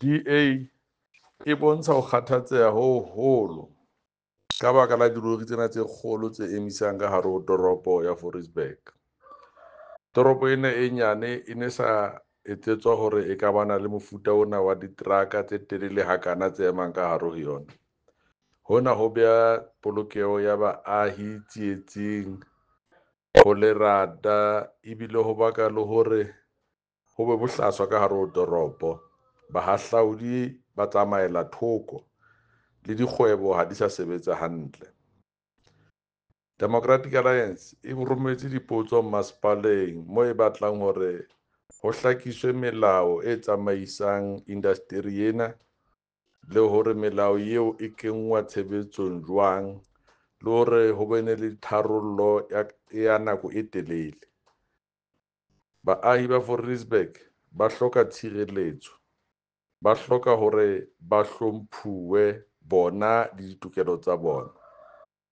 DA e bontsha ho kgathatseha ho hoholo ka baka la dilori tsena tse kgolo tse emisang ka hare ho toropo ya Fouriesburg. Toropo ena e nyane e ne sa etsetswa hore e ka bana le mofuta ona wa diteraka tse telele hakana tse emang ka hare ho yona. Hona ho beha polokeho ya baahi tsietsing, ho lerata ebile ho baka le hore ho be bohlaswa ka hare ho toropo. Bahahlaodi ba tsamaela thoko le dikgwebo ha di sa sebetsa hantle. Democratic Alliance e rometse dipotso masepaleng moo e batlang hore ho hlakiswe melao e tsamaisang indasteri ena le hore melao eo e kenngwa tshebetsong jwang le hore ho bene le tharollo ya nako e telele. Baahi ba Fouriesburg ba hloka tshireletso, ba hloka hore ba hlomphuwe bona le ditokelo tsa bona.